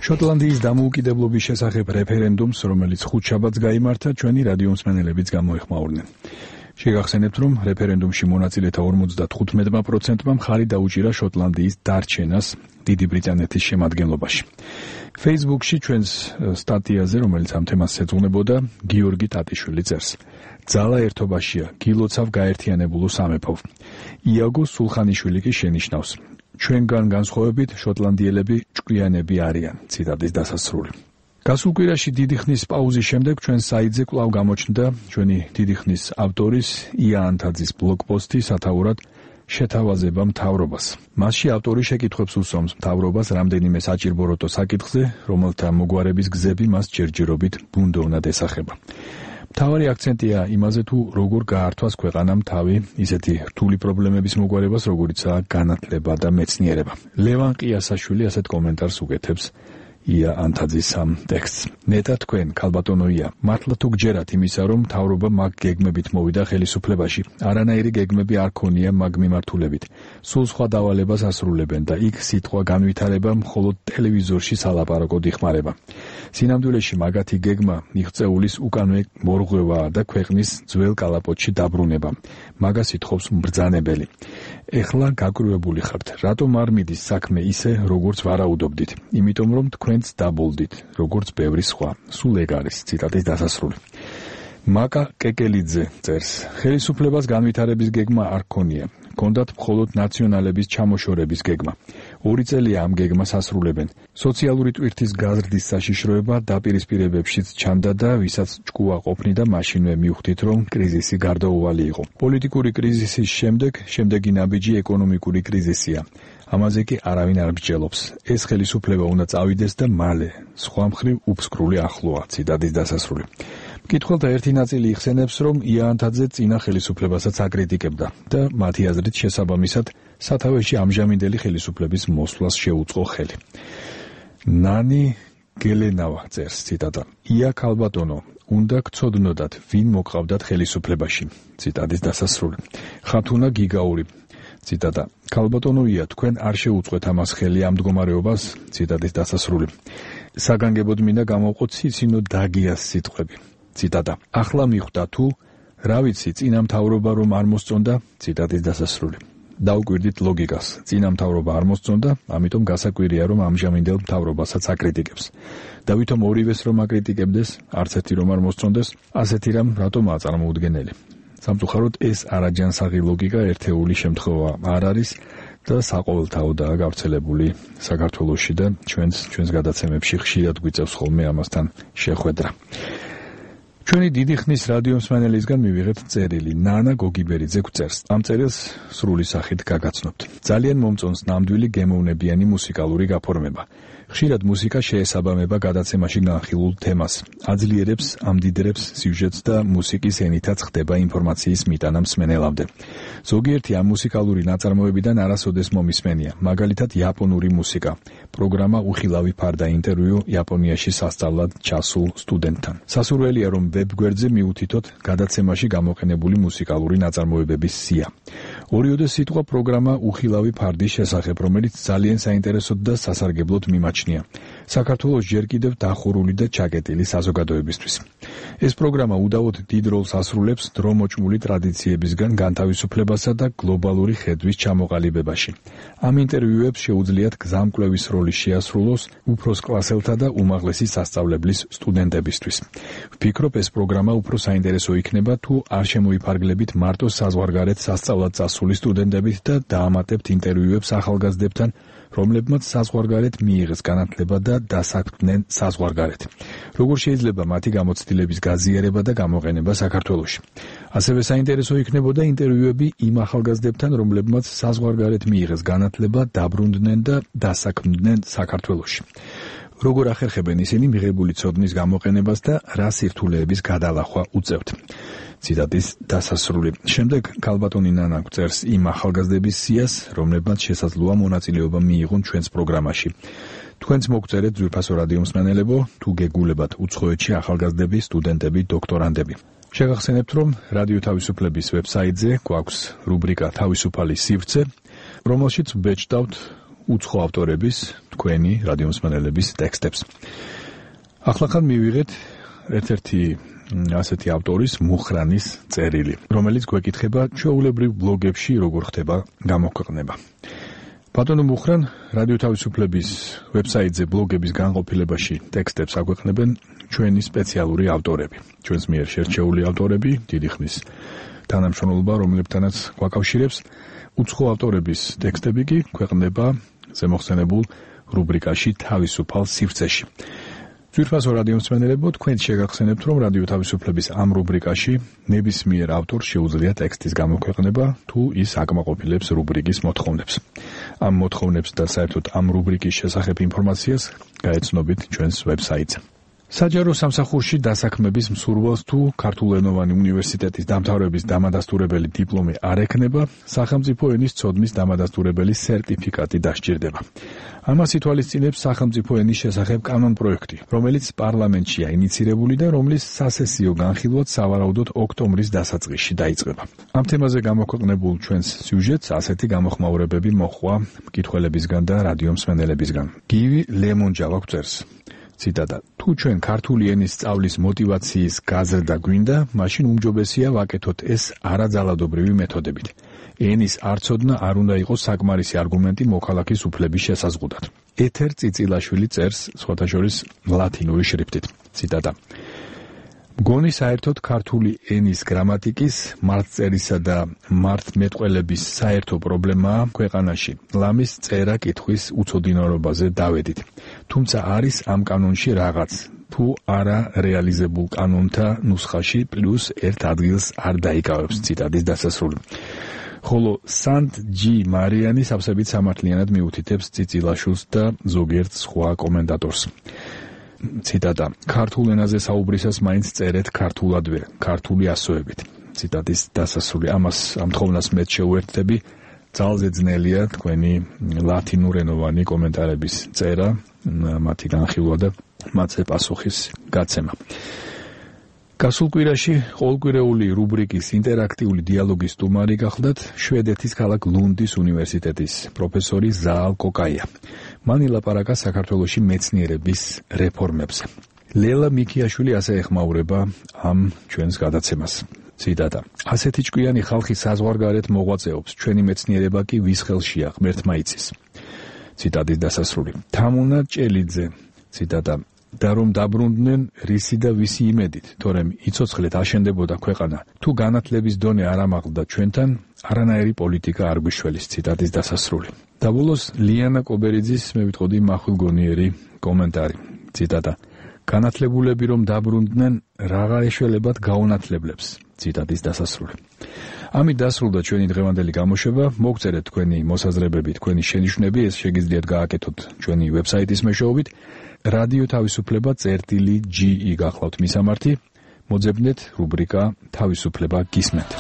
შოტლანდიის დამოუკიდებლობის შესახებ რეფერენდუმს, რომელიც ხუთშაბათს გაიმართა, ჩვენი რადიო მსმენელებიც გამოეხმაურნენ. შეგახსენებთ, რომ რეფერენდუმში მონაწილეთა 55%-მა მხარი დაუჭირა შოტლანდიის დარჩენას დიდი ბრიტანეთის შემადგენლობაში. Facebook-ში ჩვენს სტატიაზე, რომელიც ამ თემას ეძღვნებოდა, გიორგი ტატიშვილი წერს: ძალა ერთობაშია, გილოცავ გაერთიანებულო სამეფო. იაგო სულხანიშვილი კი შენიშნავს: ჩვენგან განსხვავებით შოტლანდიელები ჭკვიანები არიან. ციტატის დასასრული. გასულ კვირაში დიდი ხნის პაუზის შემდეგ ჩვენ საიტზე კვლავ გამოჩნდა ჩვენი დიდი ხნის ავტორის ია ანთაძის ბლოგპოსტი სათაურად შეთავაზება მთავრობას. მასში ავტორი შეკითხვებს უსვამს მთავრობას რამდენიმე საჭირბოროტო საკითხზე, რომელთა მოგვარების გზები მას ჯერჯერობით ბუნდოვნად ესახება. მთავარი აქცენტია იმაზე, თუ როგორ გაართვას ქვეყანამ თავი ისეთი რთული პრობლემების მოგვარებას, როგორიცაა განათლება და მეცნიერება. ლევან ყიასაშვილი ასეთ კომენტარს უკეთებს ია ანთაძის ამ ტექსტს. ნეტა თქვენ, ქალბატონოია, მართლა თუ გჯერათ იმისა, რომ მთავრობა მაგ გეგმებით მოვიდა ხელისუფლებაში, არანაირი გეგმები არ ქონია მაგ მიმართულებით. სულ სხვა დავალებას ასრულებენ და იქ სიტყვა განვითარება მხოლოდ ტელევიზორში სალაპარაკოდ იხმარება. სინამდვილეში მაგათი გეგმა მიღწეულის უკანვე მორღვევაა და ქვეყნის ძველ კალაპოტში დაბრუნება. მაგას ითხოვს მბრძანებელი. ეხლა გაკრუებული ხართ. რატომ არ მიდის საქმე ისე, როგორც ვარაუდობდით? იმიტომ რომ თქვენც დაბოლდით, როგორც ბევრი სხვა. სულ ეგ არის. ციტატის დასასრული. მაკა კეკელიძე წერს: ხელისუფლებას განვითარების გეგმა არ ქონია. ჰქონდათ მხოლოდ ნაციონალების ჩამოშორების გეგმა. 2 წელია ამ გეგმას ასრულებენ. სოციალური ტვირთის გაზრდის საშიშროება დაპირისპირებებშიც ჩანდა და ვისაც ჭკუა ყოფნიდა, მაშინვე მივხვდით, რომ კრიზისი გარდაუვალი იყო. პოლიტიკური კრიზისის შემდეგი ნაბიჯი ეკონომიკური კრიზისია. ამაზე კი არავინ არ მსჯელობს. ეს ხელისუფლება უნდა წავიდეს და მალე. სხვა მხრივ უფსკრული ახლოა. ციტატის დასასრული. მკითხველთა ერთი ნაწილი იხსენებს, რომ ია ანთაძე წინა ხელისუფლებასაც აკრიტიკებდა და მათი აზრით შესაბამისად სათავეში ამჟამინდელი ხელისუფლების მოსვლას შეუწყო ხელი. ნანი გელენავა წერს, ციტატა: ია ქალბატონო, უნდა გცოდნოდათ, ვინ მოყავდათ ხელისუფლებაში. ციტატის დასასრული. ხათუნა გიგაური ციტატა: ქალბატონოია, თქვენ არ შეუწყვეთ ამას ხელი ამ მდგომარეობას. ციტატის დასასრული. საგანგებოდ მინდა გამოვყოთ ციცინო დაგიას სიტყვები. ციტატა: ახლა მიხვდა თუ რა ვიცი, წინა მთავრობა რომ არ მოსწონდა. ციტატის დასასრული. დაუკვირდით ლოგიკას. წინა მთავრობა არ მოსწონდა, ამიტომ გასაკვირია რომ ამჟამინდელ მთავრობასაც აკრიტიკებს. და ვითომ ორივეს რომ აკრიტიკებდეს, არც ერთი რომ არ მოსწონდეს, ასეთი რამ რატომაა წარმოუდგენელი? სამწუხაროდ ეს არაჯანსაღი ლოგიკა ერთეული შემთხვევა არ არის და საყოველთაოდაა გავრცელებული საქართველოში და ჩვენს გადაცემებში ხშირად გვიწევს ხოლმე ამასთან შეხვედრა. ჩვენი დიდი ხნის რადიო მსმენელისგან მივიღეთ წერილი. ნანა გოგიბერიძე გვწერს. ამ წერილს სრული სახით გაგაცნობთ. ძალიან მომწონს ნამდვილი გემოვნებიანი მუსიკალური გაფორმება. ხშირად მუსიკა შეესაბამება გადაცემაში განხილულ თემას, აძლიერებს, ამდიდრებს სიუჟეტს და მუსიკის ენითაც ხდება ინფორმაციის მიტანა მსმენელამდე. ზოგიერთი ამ მუსიკალური ნაწარმოებიდან არასოდეს მომისმენია, მაგალითად იაპონური მუსიკა. პროგრამა უხილავი ფარდა ინტერვიუ იაპონიაში სასწავლად ჩასულ სტუდენტთან. სასურველია, რომ ვებგვერდზე მიუთითოთ გადაცემაში გამოყენებული მუსიკალური ნაწარმოებების სია. ორიოდე სიტყვა პროგრამა უხილავი ფარდის შესახებ, რომელიც ძალიან საინტერესოდ და სასარგებლოდ მიმაჩნია. საქართველოს ჯერ კიდევ დახურული და ჩაკეტილი საზოგადოებისთვის. ეს პროგრამა უდავოდ დიდ როლს ასრულებს დრომოჭმული ტრადიციებისგან განთავისუფლებასა და გლობალური ხედვის ჩამოყალიბებაში. ამ ინტერვიუებს შეუძლიათ გზამკვლევის როლი შეასრულოს უფროს კლასელთა და უმაღლესი სასწავლებლის სტუდენტებისთვის. ვფიქრობ, ეს პროგრამა უფრო საინტერესო იქნება, თუ არ შემოიფარგლებით მარტო საზღვარგარეთ სასწავლად წასული სტუდენტებით და დაამატებთ ინტერვიუებს ახალგაზრდებთან, რომლებმაც საზღვარგარეთ მიიღეს განათლება და დასაქმდნენ საზღვარგარეთ. როგორ შეიძლება მათი გამოცდილების გაზიარება და გამოყენება საქართველოში? ასევე საინტერესო იქნებოდა ინტერვიუები იმ ახალგაზრდებთან, რომლებმაც საზღვარგარეთ მიიღეს განათლება, დაბრუნდნენ და დასაქმდნენ საქართველოში. როგორ ახერხებენ ისინი მიღებული ცოდნის გამოყენებას და რა სირთულეების გადალახვა უწევთ. ციტატის დასასრული. შემდეგ ქალბატონი ნანა გვწერს იმ ახალგაზრდების სიას, რომლებმაც შესაძლოა მონაწილეობა მიიღონ ჩვენს პროგრამაში. თქვენც მოგწერეთ ძვირფასო რადიო მსმენელებო, თუ გეგულებათ უცხოეთში ახალგაზრდები, სტუდენტები, დოქტორანდები. შეგახსენებთ, რომ რადიო თავისუფლების ვებსაიტზე გვაქვს რუბრიკა თავისუფალი სივრცე, რომელშიც ვბეჭდავთ უცხო ავტორების, თქვენი რადიომსმენელების ტექსტებს. ახლახან მივიღეთ ერთ-ერთი ასეთი ავტორის მუხრანის წერილი, რომელიც გვეკითხება ჩვეულებრივ ბლოგებში როგორ ხდება გამოქვეყნება. ბატონო მუხრან, რადიო თავისუფლების ვებსაიტზე ბლოგების განყოფილებაში ტექსტებს აგვეყნებენ ჩვენი სპეციალური ავტორები. ჩვენს მიერ შერჩეული ავტორები, დიდი ხნის თანამშრომლობა, რომლებთანაც გვაკავშირებს. უცხო ავტორების ტექსტები კი ქვეყნდება ზემოხსენებულ რუბრიკაში თავისუფალ სივრცეში. ძვირფასო რადიომსმენელებო, თქვენ შეგახსენებთ, რომ რადიო თავისუფლების ამ რუბრიკაში ნებისმიერ ავტორს შეუძლია ტექსტის გამოქვეყნება, თუ ის აკმაყოფილებს რუბრიკის მოთხოვნებს. ამ მოთხოვნებს და საერთოდ ამ რუბრიკის შესახებ ინფორმაციას გაეცნობით ჩვენს ვებსაიტზე. საჯარო სამსახურში დასაქმების მსურველს თუ ქართულენოვანი უნივერსიტეტის დამთავრების დამადასტურებელი დიპლომი არ ექნება, სახელმწიფო ენის ცოდნის დამადასტურებელი სერტიფიკატი დასჭირდება. ამას ითვალისწინებს სახელმწიფო ენის შესახებ კანონპროექტი, რომელიც პარლამენტშია ინიცირებული და რომლის სასესიო განხილვაც სავარაუდოდ ოქტომბრის დასაწყისში დაიწყება. ამ თემაზე გამოქვეყნებულ ჩვენს სიუჟეტს ასეთი გამოხმაურებები მოჰყვა მკითხველებისგან და რადიომსმენელებისგან. გივი ლემონჯავა გვწერს. ციტატა: თუ ჩვენ ქართული ენის სწავლის მოტივაციის გაზრდა გვინდა, მაშინ უმჯობესია ვაკეთოთ ეს არაძალადობრივი მეთოდებით. ენის არცოდნა არ უნდა იყოს საკმარისი არგუმენტი მოქალაქის უფლების შესაზღუდად. ეთერ წიწილაშვილი წერს სხვათა შორის ლათინური შრიფტით. ციტატა: მგონი საერთოდ ქართული ენის გრამატიკის, მართწერისა და მართმეტყველების საერთო პრობლემაა ქვეყანაში. ლამის წერა კითხვის უცოდინარობაზე დავედით. თუმცა არის ამ კანონში რაღაც, თუ არა რეალიზებულ კანონთა ნუსხაში პლუს ერთ ადგილს არ დაიკავებს. ციტატის დასასრული. ხოლო სანტ ჯი მარიანი სავსებით სამართლიანად მიუთითებს წიწილაშვილს და ზოგიერთ სხვა კომენტატორს. ციტატა: ქართულ ენაზე საუბრისას მაინც წერეთ ქართულადვე, ქართული ასოებით. ციტატის დასასრული. ამას ამ თხოვნას მეც შეუერთდები. ძალზე ძნელია თქვენი ლათინურენოვანი კომენტარების წერა, მათი განხილვა და მათზე პასუხის გაცემა. გასულ კვირაში ყოველკვირეული რუბრიკის ინტერაქტიული დიალოგის სტუმარი გახლდათ შვედეთის ქალაქ ლუნდის უნივერსიტეტის პროფესორი ზაალ კოკაია. მან ილაპარაკა საქართველოში მეცნიერების რეფორმებზე. ლელა მიქიაშვილი ასე ეხმაურება ამ ჩვენს გადაცემას. ციტატა: ასეთი ჭკვიანი ხალხი საზღვარგარეთ მოღვაწეობს, ჩვენი მეცნიერება კი ვის ხელშია, ღმერთმა იცის. ციტატის დასასრული. თამუნა ჭელიძე. ციტატა: და რომ დაბრუნდნენ რისი და ვისი იმედით, თორემ იცოცხლეთ აშენდებოდა ქვეყანა, თუ განათლების დონე არ ამაღლდა ჩვენთან, არანაირი პოლიტიკა არ გვიშველის. ციტატის დასასრული. და ბოლოს ლიანა კობერიძის მე ვიტყოდი მახვილგონიერი კომენტარი. ციტატა: განათლებულები რომ დაბრუნდნენ, რაღა ეშველებათ გაუნათლებლებს. ციტატის დასასრული. ამით დასრულდა ჩვენი დღევანდელი გამოშვება. მოგწერეთ თქვენი მოსაზრებები, თქვენი შენიშვნები, ეს შეგიძლიათ გააკეთოთ ჩვენი ვებსაიტის მეშვეობით. რადიო თავისუფლება წერტილი.ge გახლავთ მისამართი. მოძებნეთ რუბრიკა თავისუფლება გისმენთ.